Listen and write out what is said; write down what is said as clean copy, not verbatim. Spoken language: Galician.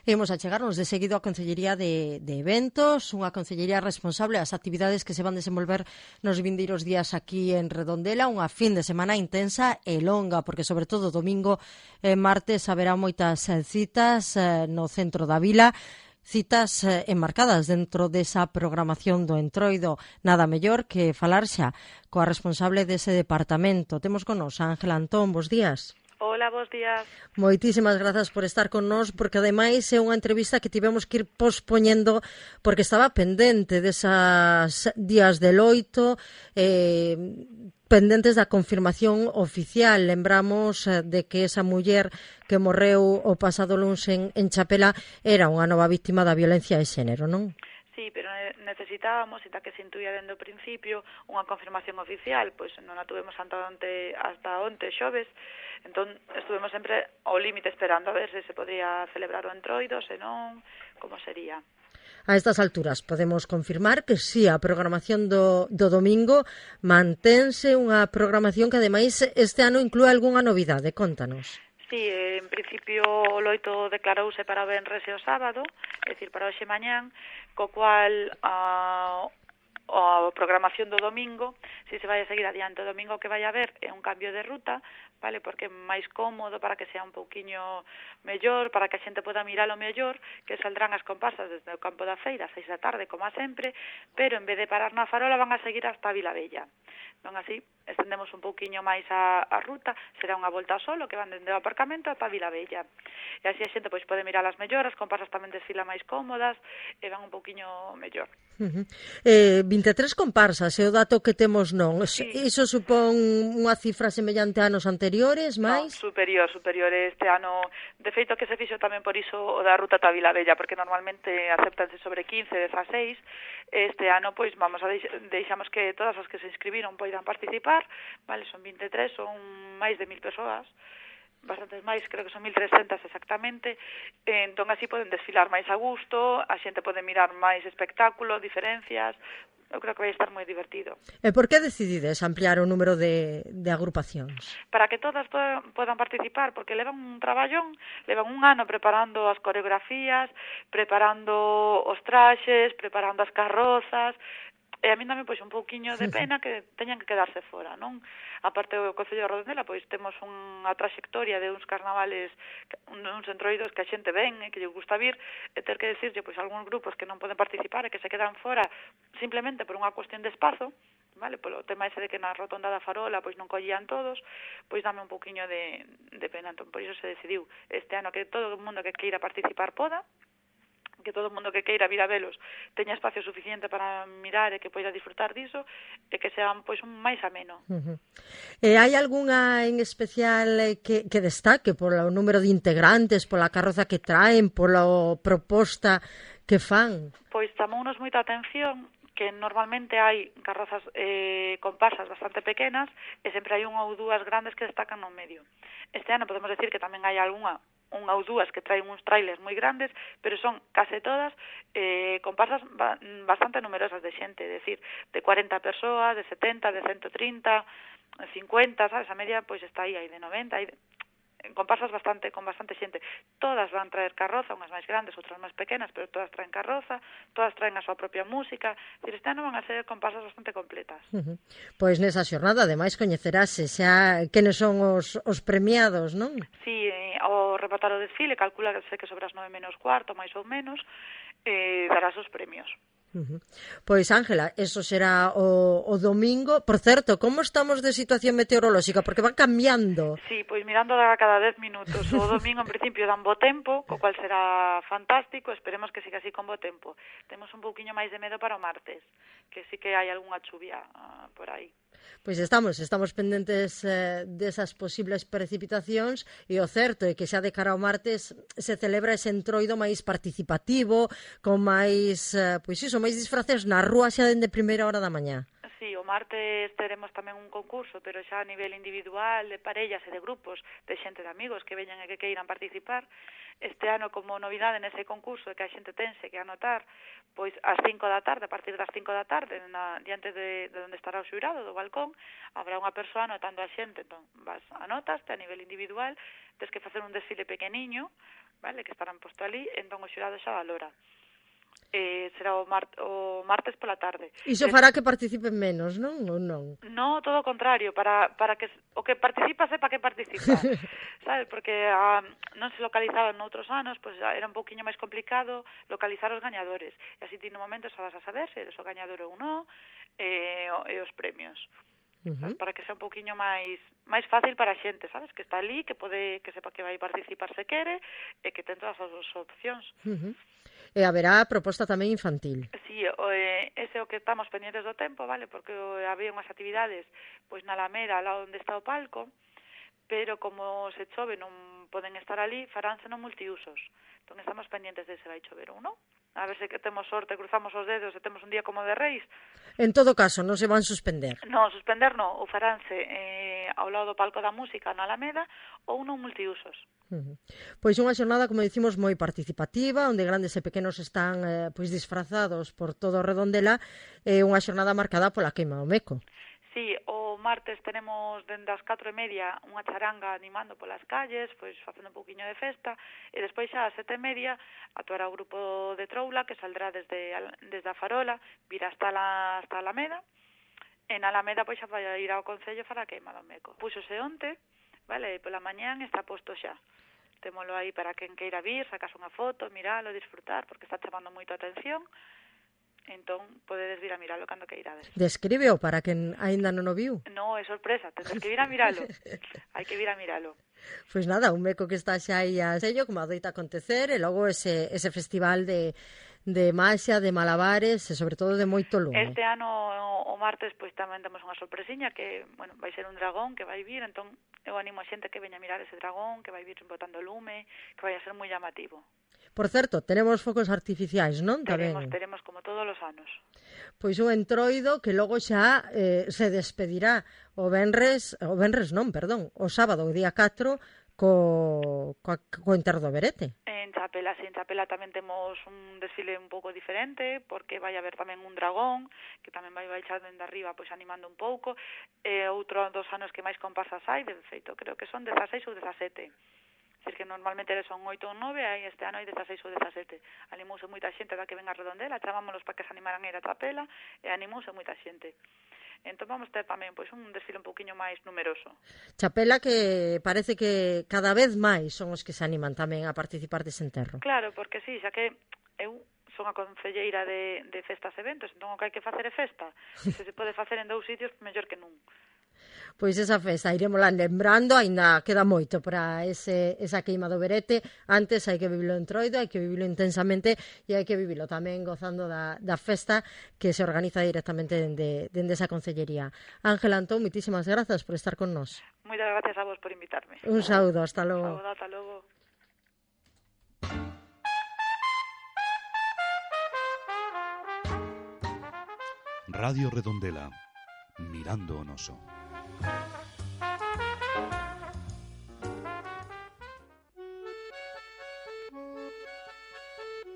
Imos a chegarnos de seguido á Concellería de Eventos, unha concellería responsable das actividades que se van desenvolver nos vindeiros días aquí en Redondela, unha fin de semana intensa e longa, porque sobre todo domingo e martes haberá moitas citas no centro da vila, citas enmarcadas dentro desa programación do Entroido. Nada mellor que falar xa coa responsable dese departamento. Temos con nos a Ángela Antón, bos días. Hola, bos días. Moitísimas grazas por estar con nós, porque ademais é unha entrevista que tivemos que ir pospoñendo porque estaba pendente desas días de loito, pendentes da confirmación oficial. Lembramos de que esa muller que morreu o pasado luns en Chapela era unha nova víctima da violencia de xénero, non? Sí, pero necesitábamos, e que se intuía dende o principio, unha confirmación oficial, pois non a tuvemos hasta onte xoves, entón estuvemos sempre ao límite esperando a ver se podría celebrar o Entroido, se non, como sería. A estas alturas podemos confirmar que sí, a programación do domingo mantense, unha programación que ademais este ano inclúe algunha novidade, contanos. Sí, en principio o loito declarouse para o venres e o sábado, é dicir, para hoxe mañán, co cual a programación do domingo, se vai a seguir adiante o domingo que vai a haber é un cambio de ruta, vale, porque é máis cómodo para que sea un pouquiño mellor, para que a xente poda miralo mellor, que saldrán as comparsas desde o campo da feira a 6 da tarde, como a sempre, pero en vez de parar na Farola van a seguir hasta a Vilavella. Non así, estendemos un pouquiño máis a ruta, será unha volta solo que van dende o aparcamento ata a Vilavella. E así a xente pois pode mirar as melloras, comparsas tamén desfilan máis cómodas e van un pouquiño mellor. 23 comparsas, é o dato que temos, non? Sí. Iso supón unha cifra semellante a anos anteriores, máis? No, superior este ano. De feito que se fixo tamén por iso o da ruta ata Vilavella, porque normalmente aceptanse sobre 15, 16. Este ano, pois, vamos a deixamos que todas as que se inscribiron poidan participar, vale, son 23, son máis de 1000 persoas, bastantes máis, creo que son 1300 exactamente, entón así poden desfilar máis a gusto, a xente pode mirar máis espectáculo, diferencias. Eu creo que vai estar moi divertido. E por que decidides ampliar o número de agrupacións? Para que todas podan participar, porque levan un traballón, levan un ano preparando as coreografías, preparando os traxes, preparando as carrozas, e a mí dame pois un pouquiño de pena que teñan que quedarse fora, non? A parte do Concello de Redondela, pois temos unha traxectoria de uns carnavales, uns entroidos que a xente ven e que lle gusta vir, e ter que decirlle pois algúns grupos que non poden participar e que se quedan fora simplemente por unha cuestión de espazo, vale, polo tema ese de que na rotonda da Farola pois non collían todos, pois dame un pouquiño de pena. Entón, por iso se decidiu este ano que todo o mundo que queira participar poda, que todo o mundo que queira vir a velos teña espacio suficiente para mirar e que poida disfrutar diso e que sean pois un máis ameno. Hai algunha en especial que destaque polo número de integrantes, pola carroza que traen, pola proposta que fan? Pois chamounos moita atención que normalmente hai carrozas comparsas bastante pequenas e sempre hai unha ou dúas grandes que destacan no medio. Este ano podemos decir que tamén hai unha ou dúas que traen uns trailers moi grandes, pero son case todas comparsas bastante numerosas de xente, é dicir, de 40 persoas, de 70, de 130, 50, sabes, a media pois está aí de 90, comparsas con bastante xente. Todas van traer carroza, unhas máis grandes, outras máis pequenas, pero todas traen carroza, todas traen a súa propia música. Este ano van a ser comparsas bastante completas. Pois nesa xornada, ademais, coñecerase xa quenes son os premiados, non? Sí, ao rematar o desfile, calcula que sobre as 9 menos cuarto, máis ou menos, darás os premios. Pois, Ángela, eso será o domingo. Por certo, como estamos de situación meteorolóxica? Porque van cambiando. Sí, pois mirando a cada 10 minutos. O domingo, en principio, dan bo tempo, co cual será fantástico. Esperemos que siga así con bo tempo. Temos un pouquiño máis de medo para o martes, que sí que hai algunha chuvia por aí. Pois estamos pendentes desas posibles precipitacións, e o certo é que xa de cara ao martes se celebra ese entroido máis participativo, con máis, máis disfraces na rúa xa dende primeira hora da mañá. Sí, o martes teremos tamén un concurso, pero xa a nivel individual, de parellas e de grupos, de xente de amigos que veñan e que queiran participar. Este ano, como novidade nese concurso, que a xente tense que anotar, pois ás 5 da tarde, a partir das 5 da tarde, diante de onde estará o xurado, do balcón, habrá unha persoa anotando a xente. Entón, vas, anotaste a nivel individual, tens que facer un desfile pequeniño, vale, que estarán posto ali, entón o xurado xa valora. Será o martes pola tarde. Iso fará que participen menos, non? Ou non? No, todo o contrario, para que o que participa sepa que participa, sabes? Porque non se localizaban noutros anos, pois era un pouquiño máis complicado localizar os gañadores. E así ti no momento xa vas a saber se eres o gañador ou non, e os premios. Sabes? Para que sea un pouquiño máis fácil para a xente, sabes? Que está ali, que sepa que vai participar se quere, e que ten todas as opcións. E haberá proposta tamén infantil. Sí, ese é o que estamos pendientes do tempo, vale? Porque había unhas actividades pois na Alameda, lá onde está o palco, pero como se chove non poden estar ali, faránse non multiusos. Entón estamos pendientes de se vai chover ou non. A ver se que temos sorte, cruzamos os dedos e temos un día como de Reis. En todo caso, non se van suspender. Non, suspender non, ou faránse ao lado do palco da música na Alameda ou non multiusos. Pois unha xornada, como dicimos, moi participativa, onde grandes e pequenos están pois disfrazados por todo o Redondela, unha xornada marcada pola queima do meco. Sí, o martes tenemos dende as 4:30 unha charanga animando polas calles, pois facendo un pouquiño de festa, e despois xa ás 7:30 actuará o grupo de Troula, que saldrá desde a Farola, virá hasta a Alameda, e na Alameda pois xa vai ir ao Concello para a queima do meco. Púxose onte, vale, e pola mañán está posto xa. Témolo aí para quen queira vir, sacas unha foto, miralo, disfrutar, porque está chamando moito a atención. Entón, podedes vir a miralo cando queirades. Descríbeo para quen aínda non o viu. No, é sorpresa, tens que vir a miralo. Hai que vir a miralo. Pois nada, un meco que está xa aí a sello, como adoita acontecer, e logo ese festival de maxia, de malabares, e sobre todo de moito lume. Este ano, o martes, pois tamén temos unha sorpresiña que, bueno, vai ser un dragón que vai vir, entón eu animo a xente que veña a mirar ese dragón, que vai vir botando lume, que vai a ser moi llamativo. Por certo, tenemos focos artificiais, non? Teremos como todos os anos. Pois un entroido que logo xa se despedirá o sábado, o día 4, co Enterro do Berete. En Chapela tamén temos un desfile un pouco diferente, porque vai haber tamén un dragón, que tamén vai baixar dende arriba, pois animando un pouco, e outro dos anos que máis comparsas hai, de feito, creo que son 16 ou 17. Que normalmente son 8 ou 9, aí este ano hai 16 ou 17. Animouse moita xente da que ven a Redondela, chamámonos para que se animaran a ir a Chapela, e animouse moita xente. Entón vamos ter tamén pois un desfile un pouquiño máis numeroso. Chapela que parece que cada vez máis son os que se animan tamén a participar dese enterro. Claro, porque sí, xa que eu son a concelleira de festas e eventos, entón o que hai que facer é festa. Se pode facer en 2 sitios, mellor que nun. Pois esa festa iremosla lembrando, aínda queda moito para esa queima do Berete. Antes hai que vivilo en Troido, hai que vivilo intensamente e hai que vivilo tamén gozando da festa que se organiza directamente dende esa concellería. Ángela Antón, moitísimas grazas por estar con nós. Moitas gracias a vos por invitarme. Un saúdo, hasta logo. Un saúdo, hasta logo. Radio Redondela, mirando o noso.